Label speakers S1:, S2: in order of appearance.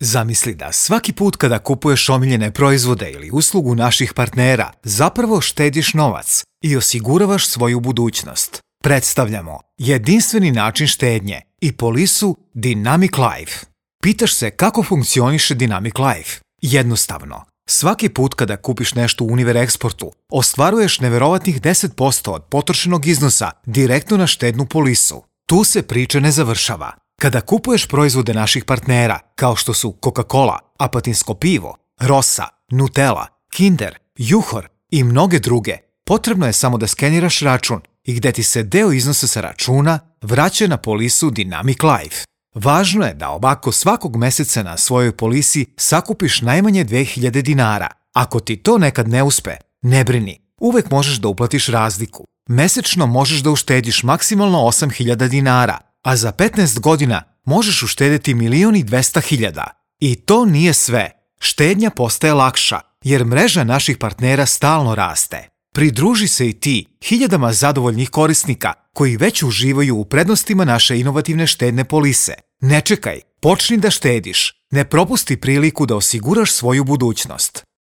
S1: Zamisli da svaki put kada kupuješ omiljene proizvode ili uslugu naših partnera, zapravo štediš novac i osiguravaš svoju budućnost. Predstavljamo jedinstveni način štednje i polisu Dynamic Life. Pitaš se kako funkcioniše Dynamic Life? Jednostavno. Svaki put kada kupiš nešto u Univer Eksportu, ostvaruješ neverovatnih 10% od potrošenog iznosa direktno na štednu polisu. Tu se priča ne završava. Kada kupuješ proizvode naših partnera, kao što su Coca-Cola, Apatinsko pivo, Rosa, Nutella, Kinder, Juhor i mnoge druge, potrebno je samo da skeniraš račun i gde ti se deo iznosa sa računa vraća na polisu Dynamic Life. Važno je da ovako svakog meseca na svojoj polisi sakupiš najmanje 2000 dinara. Ako ti to nekad ne uspe, ne brini, uvek možeš da uplatiš razliku. Mesečno možeš da uštediš maksimalno 8000 dinara, a za 15 godina možeš uštedeti 1.200.000. I to nije sve. Štednja postaje lakša, jer mreža naših partnera stalno raste. Pridruži se i ti hiljadama zadovoljnih korisnika koji već uživaju u prednostima naše inovativne štedne polise. Ne čekaj, počni da štediš. Ne propusti priliku da osiguraš svoju budućnost.